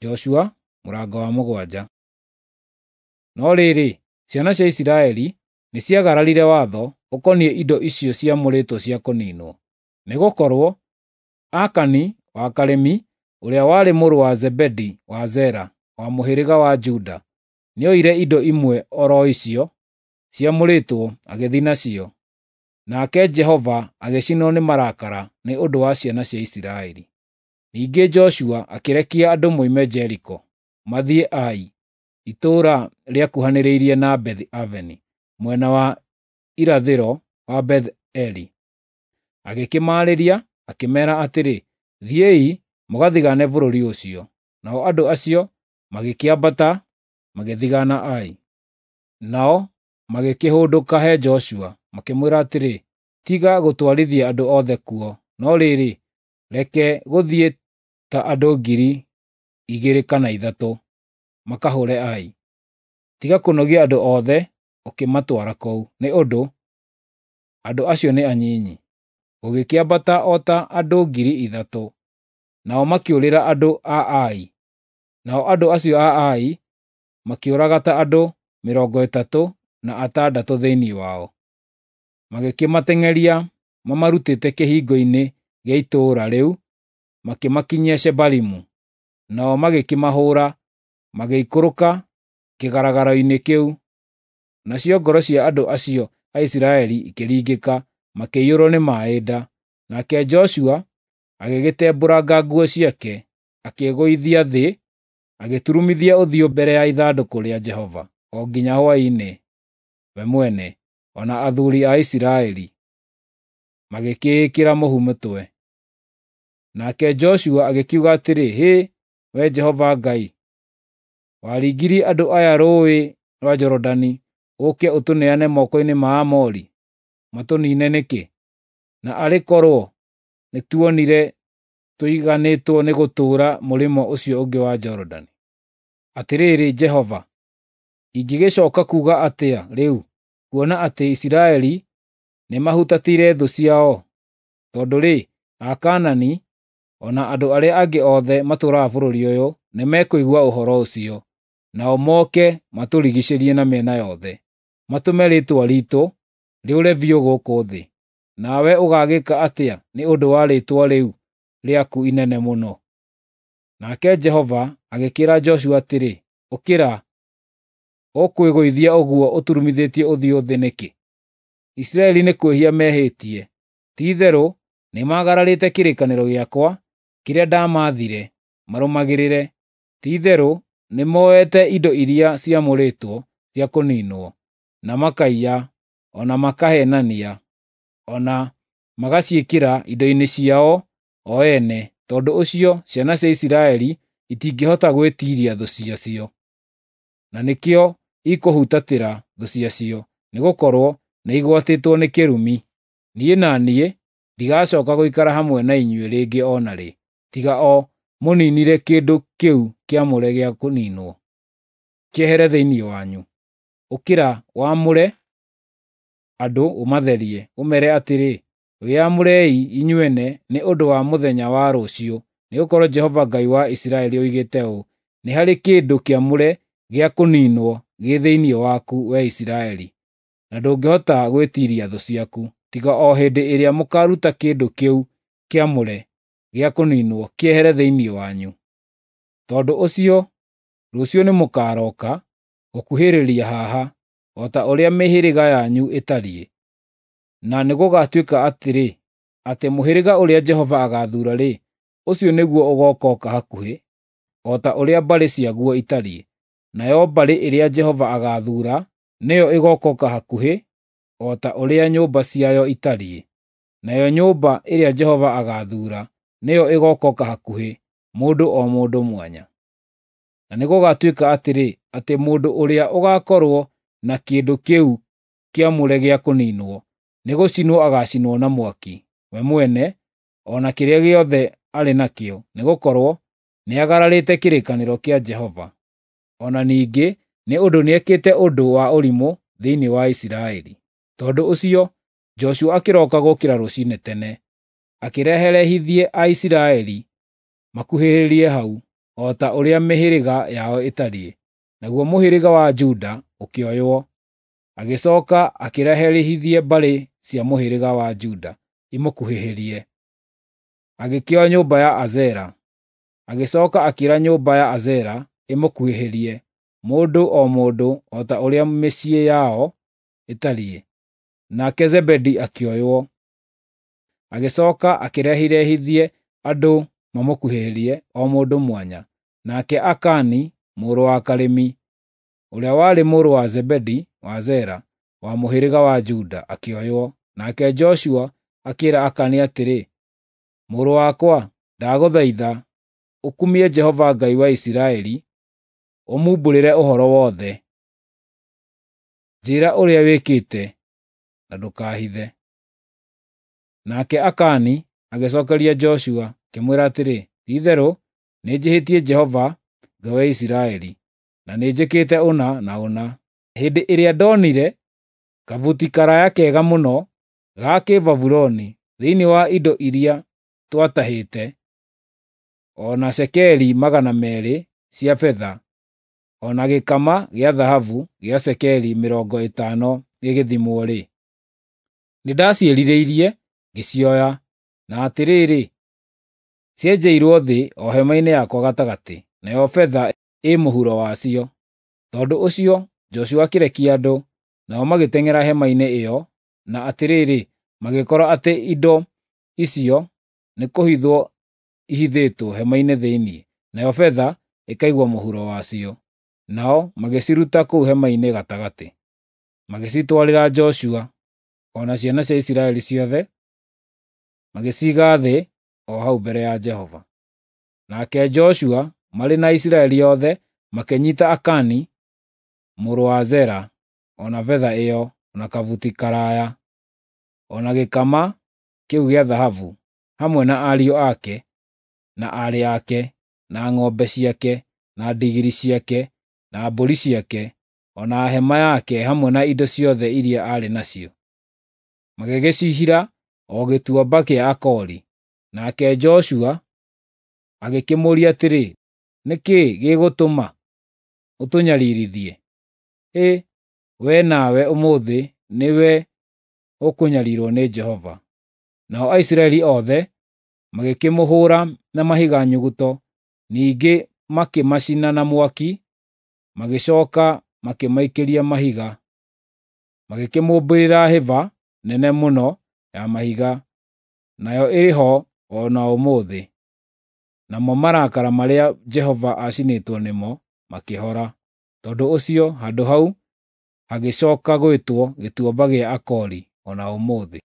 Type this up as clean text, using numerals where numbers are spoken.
Joshua mũrango wa 7. No rĩrĩ, ciana cia Isiraeli nĩciagararire watho ũkoniĩ indo icio ciamũrĩtwo cia kũniinwo. Nĩgũkorwo Akani wa Karimi, ũrĩa warĩ mũrũ wa Zebedi wa Zera, wa mũhĩrĩga wa Juda, nĩoire indo imwe o ro icio ciamũrĩtwo agĩthiĩ nacio. Nake Jehova agĩcinwo nĩ marakara nĩ ũndũ wa ciana cia Isiraeli. Ningĩ Joshua akĩrekia andũ moime Jeriko mathiĩ Ai, itũũra rĩakuhanĩrĩirie na Bethi-Aveni, mwena wa irathĩro wa Beth-eli. Agĩkĩmaarĩria, akĩmeera atĩrĩ, “Thiĩi mũgathigaane bũrũri ũcio.” Nao andũ acio magĩkĩambata magĩthigaana Ai. Nao magĩkĩhũndũka he Joshua, makĩmwĩra atĩrĩ, “Tiga gũtwarithia andũ othe kuo, no rĩrĩ, reke gũthiĩ ta andũ 2,000 kana 3,000 makahũre Ai. Tiga kũnogia andũ othe ũkĩmatwara kũu, nĩ ũndũ andũ acio nĩ anyinyi.” Gũgĩkĩambata o ta andũ 3,000, nao makĩũrĩra andũ a Ai. Nao andũ acio a Ai makĩũraga ta andũ 36 thĩinĩ wao. Magĩkĩmateng'eria mamarutĩte kĩhingo-inĩ gĩa itũũra rĩu makĩmakinyia Shebarimu. Nao magĩkĩmahũũra, magĩikũrũka kĩgaragaro-inĩ kĩu. Nacio ngoro cia andũ acio a Isiraeli ikĩringĩka, makĩiyũrwo nĩ maaĩ nda. Nake Joshua agĩgĩtembũranga nguo ciake, akĩĩgũithia thĩ, agĩturumithia ũthiũ mbere ya ithandũkũ rĩa Jehova o nginya hwaĩ-inĩ, we mwene, o na athuuri a Isiraeli, magĩkĩĩkĩra mũhu mũtwe. Nake Joshua agĩkiuga atĩrĩ, “Hĩ, Wee Jehova Ngai, waringirie andũ aya Rũũĩ rwa Jorodani ũũke ũtũneane moko-inĩ ma Aamori matũniine nĩkĩ? Na arĩ korwo nĩtuonire tũiganĩtwo nĩ gũtũũra mũrĩmo ũcio ũngĩ wa Jorodani! Atĩrĩrĩ Jehova, ingĩgĩcooka kuuga atĩa rĩu, kuona atĩ Isiraeli nĩmahutatĩire thũ ciao? Tondũ-rĩ, Akaanani o na andũ arĩa angĩ othe matũũraga bũrũri ũyũ nĩmekũigua ũhoro ũcio, nao moke matũrigiicĩrie na mĩena yothe, matũme rĩĩtwa riitũ rĩũre biũ gũkũ thĩ. Nawe ũgaagĩka atĩa nĩ ũndũ wa rĩĩtwa rĩu rĩaku inene mũno?” Nake Jehova agĩkĩĩra Joshua atĩrĩ, “Ũkĩra! Ũkwĩgũithia ũguo ũturumithĩtie ũthiũ thĩ nĩkĩ? Isiraeli nĩ kwĩhia mehĩtie. Ti-itherũ nĩmagararĩte kĩrĩkanĩro gĩakwa kĩrĩa ndamaathire marũmagĩrĩre. Ti-itherũ nĩmoete indo iria ciamũrĩtwo cia kũniinwo, na makaiya, o na makaheenania, o na magaciĩkĩra indo-inĩ ciao o ene. Tondũ ũcio ciana cia Isiraeli itingĩhota gwĩtiiria thũ ciacio, na nĩkĩo ikũhutatĩra thũ ciacio, nĩgũkorwo nĩigwatĩtwo nĩ kĩrumi. Niĩ na niĩ ndigacooka gũikara hamwe na inyuĩ rĩngĩ o na rĩ, tiga o mũniinire kĩndũ kĩu kĩamũre gĩa kũniinwo, kĩehere thĩinĩ wanyu. Ũkĩra wamũre andũ ũmatherie, ũmeere atĩrĩ, ‘Wĩyamũrei inyuene nĩ ũndũ wa mũthenya wa rũciũ, nĩgũkorwo Jehova Ngai wa Isiraeli oigĩte ũũ: Nĩ harĩ kĩndũ kĩamũre gĩa kũniinwo gĩ thĩinĩ waku, wee Isiraeli, na ndũngĩhota gwĩtiiria thũ ciaku, tiga o hĩndĩ ĩrĩa mũkaaruta kĩndũ kĩu kĩamũre gĩa kũniinwo kĩehere thĩinĩ wanyu. Tondũ ũcio rũciũ nĩmũkarooka gũkuhĩrĩria haha, o ta ũrĩa mĩhĩrĩga yanyu ĩtariĩ. Na nĩgũgatuĩka atĩrĩ, atĩ mũhĩrĩga ũrĩa Jehova agaathuura-rĩ, ũcio nĩguo ũgookoka hakuhĩ, o ta ũrĩa mbarĩ ciaguo itariĩ. Nayo mbarĩ ĩrĩa Jehova agaathuura nĩyo ĩgookoka hakuhĩ, o ta ũrĩa nyũmba ciayo itariĩ. Nayo nyũmba ĩrĩa Jehova agaathuura nĩyo ĩgookoka hakuhĩ, mũndũ o mũndũ mwanya. Na nĩgũgatuĩka atĩrĩ, atĩ mũndũ ũrĩa ũgaakorwo na kĩndũ kĩu kĩamũre gĩa kũniinwo, nĩgũcinwo agaacinwo na mwaki, we mwene, o na kĩrĩa gĩothe arĩ nakĩo, nĩgũkorwo nĩagararĩte kĩrĩkanĩro kĩa Jehova. O na ningĩ nĩ ũndũ nĩekĩte ũndũ wa ũrimũ thĩinĩ wa Isiraeli. Tondũ ũcio Joshua akĩroka gũũkĩra rũciinĩ tene, akĩreherehithie Aisiraeli makuhĩrĩrie hau. o ta ũrĩa mĩhĩrĩga yao ĩtariĩ. Naguo mũhĩrĩga wa Juda ũkĩoywo. Agĩcoka akĩreherithie mbarĩ cia mũhĩrĩga wa Juda imũkuhĩhĩrie. Agĩkĩoya nyũmba ya Azera. Agĩcoka akĩĩra nyũmba ya Azera ĩmũkuhĩhĩrie, mũndũ o mũndũ o ta ũrĩa mĩciĩ yao ĩtariĩ. Nake Zebedi akĩoywo. Agĩcoka akĩrehithie andũ mamũkuhĩhĩrie, o mũndũ mwanya. Nake Akani mũrũ wa Karimi, ũrĩa warĩ mũrũ wa Zebedi wa Zera, wa mũhĩrĩga wa Juda, akĩoywo. Nake Joshua akĩĩra Akani atĩrĩ, "Mũrũ wakwa, ndagũthaitha ũkumie Jehova Ngai wa Isiraeli, ũmumbũrĩre ũhoro wothe. Njĩĩra ũrĩa wĩkĩte, na ndũkaahithe." Nake Akani agĩcookeria Joshua, akĩmwĩra atĩrĩ, "Ti-itherũ nĩnjĩhĩtie Jehova Ngai wa Isiraeli, na nĩnjĩkĩte ũna na ũna. Hĩndĩ ĩrĩa ndonire kabuti karaaya kega mũno ga Kĩbabuloni thĩinĩ wa indo iria twatahĩte, o na cekeri 200 cia betha, o na gĩkama gĩa thahabu gĩa cekeri 50 gĩgĩthimwo-rĩ, nĩndaciĩrirĩirie ngĩcioya, na atĩrĩrĩ, cienjeirwo thĩ o hema-inĩ yakwa gatagatĩ, nayo betha ĩ mũhuro wacio." Tondũ ũcio Joshua akĩrekia andũ, nao magĩteng'era hema-inĩ ĩyo, na atĩrĩrĩ, magĩkora atĩ indo icio nĩkũhithwo ihithĩtwo hema-inĩ thĩinĩ, nayo betha ĩkaigwo mũhuro wacio. Nao magĩciruta kũu hema-inĩ gatagatĩ, magĩcitwarĩra Joshua o na ciana cia Isiraeli ciothe, magĩciiga thĩ o hau mbere ya Jehova. Nake Joshua marĩ na Isiraeli othe makĩnyiita Akani mũrũ wa Zera, o na betha ĩyo, o na kabuti karaaya, o na gĩkama kĩu gĩa thahabu, hamwe na ariũ ake na aarĩ ake, na ng'ombe ciake, na ndigiri ciake, na mbũri ciake, o na hema yake hamwe na indo ciothe iria aarĩ nacio. Magĩgĩcihira o gĩtuamba kĩa Akori. Nake Joshua agĩkĩmũũria atĩrĩ, "Nĩ kĩĩ gĩgũtũma ũtũnyariirithie? Hĩ, wee nawe ũmũthĩ nĩwe ũkũnyariirwo nĩ Jehova." Nao Aisiraeli othe magĩkĩmũhũũra na mahiga nyuguto, ningĩ makĩmacina na mwaki, magĩcooka makĩmaikĩria mahiga. Magĩkĩmũmbĩrĩra hĩba nene mũno ya mahiga, nayo ĩrĩ ho o na ũmũthĩ. Namo marakara marĩa Jehova aacinĩtwo nĩmo makĩhora. Tondũ ũcio handũ hau hagĩcooka gwĩtwo Gĩtuamba gĩa Akori o na ũmũthĩ.